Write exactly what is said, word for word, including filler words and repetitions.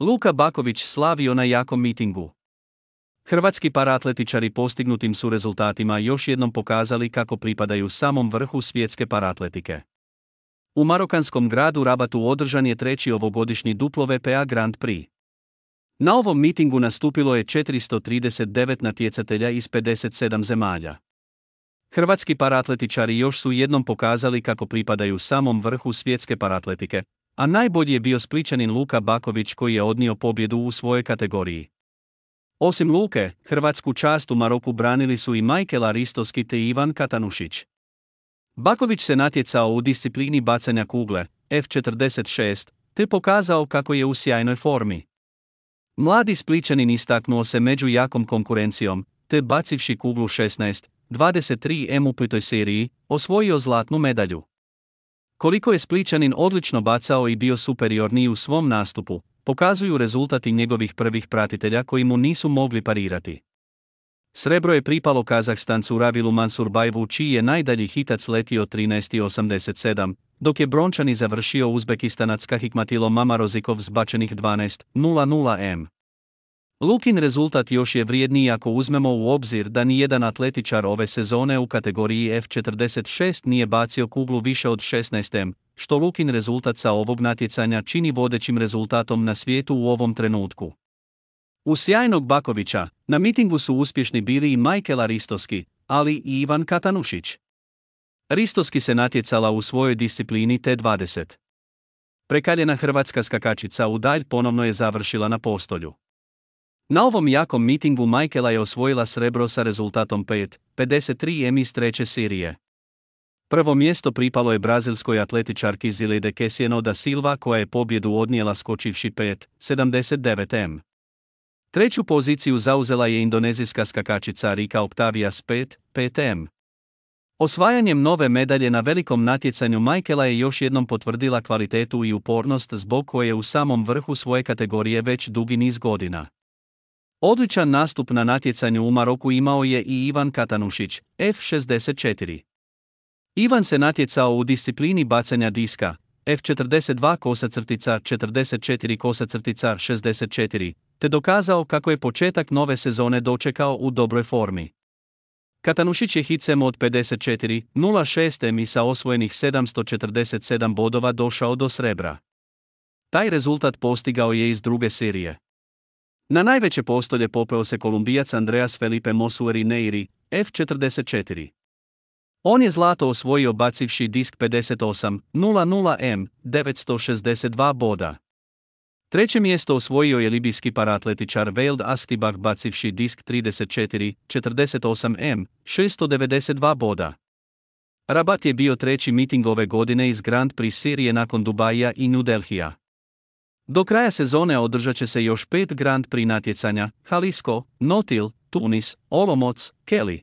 Luka Baković slavio na jakom mitingu. Hrvatski paratletičari postignutim su rezultatima još jednom pokazali kako pripadaju samom vrhu svjetske paratletike. U marokanskom gradu Rabatu održan je treći ovogodišnji W P A Grand Prix. Na ovom mitingu nastupilo je četiristo trideset devet natjecatelja iz pedeset sedam zemalja. Hrvatski paratletičari još su jednom pokazali kako pripadaju samom vrhu svjetske paratletike, a najbolji je bio Splićanin Luka Baković koji je odnio pobjedu u svojoj kategoriji. Osim Luke, hrvatsku čast u Maroku branili su i Michael Aristoski te Ivan Katanušić. Baković se natjecao u disciplini bacanja kugle, F četrdeset šest, te pokazao kako je u sjajnoj formi. Mladi Splićanin istaknuo se među jakom konkurencijom, te bacivši kuglu šesnaest dvadeset tri em u petoj seriji, osvojio zlatnu medalju. Koliko je Splićanin odlično bacao i bio superiorniji u svom nastupu, pokazuju rezultati njegovih prvih pratitelja koji mu nisu mogli parirati. Srebro je pripalo Kazahstancu Ravilu Mansurbajevu čiji je najdalji hitac letio trinaest osamdeset sedam, dok je brončani završio Uzbekistanac Hikmatilo Mamarozikov zbačenih dvanaest nula nula em. Lukin rezultat još je vrijedniji ako uzmemo u obzir da nijedan atletičar ove sezone u kategoriji F četrdeset šest nije bacio kuglu više od šesnaest em, što Lukin rezultat sa ovog natjecanja čini vodećim rezultatom na svijetu u ovom trenutku. U sjajnog Bakovića, na mitingu su uspješni bili i Michael Aristoski, ali i Ivan Katanušić. Aristoski se natjecala u svojoj disciplini T dvadeset. Prekaljena hrvatska skakačica u dalj ponovno je završila na postolju. Na ovom jakom mitingu Michaela je osvojila srebro sa rezultatom pet pedeset tri em iz treće serije. Prvo mjesto pripalo je brazilskoj atletičarki Zilede Kesieno da Silva koja je pobjedu odnijela skočivši pet sedamdeset devet em. Treću poziciju zauzela je indonezijska skakačica Rika Octavia s pet pet em. Osvajanjem nove medalje na velikom natjecanju Michaela je još jednom potvrdila kvalitetu i upornost zbog koje je u samom vrhu svoje kategorije već dugi niz godina. Odličan nastup na natjecanju u Maroku imao je i Ivan Katanušić, F šezdeset četiri. Ivan se natjecao u disciplini bacanja diska, F četrdeset dva kosa crtica četrdeset četiri kosa crtica šezdeset četiri, te dokazao kako je početak nove sezone dočekao u dobroj formi. Katanušić je hicem od pedeset četiri nula šest em i sa osvojenih sedamsto četrdeset sedam bodova došao do srebra. Taj rezultat postigao je iz druge serije. Na najveće postolje popeo se Kolumbijac Andreas Felipe Mosueri Neiri, F četrdeset četiri. On je zlato osvojio bacivši disk pedeset osam nula nula em, devetsto šezdeset dva boda. Treće mjesto osvojio je libijski paratletičar Veld Astibah bacivši disk trideset četiri četrdeset osam em, šesto devedeset dva boda. Rabat je bio treći miting ove godine iz Grand Prix serije nakon Dubaija i New Delhija. Do kraja sezone održat će se još pet Grand Prix natjecanja: Jalisco, Notil, Tunis, Olomouc, Kelly.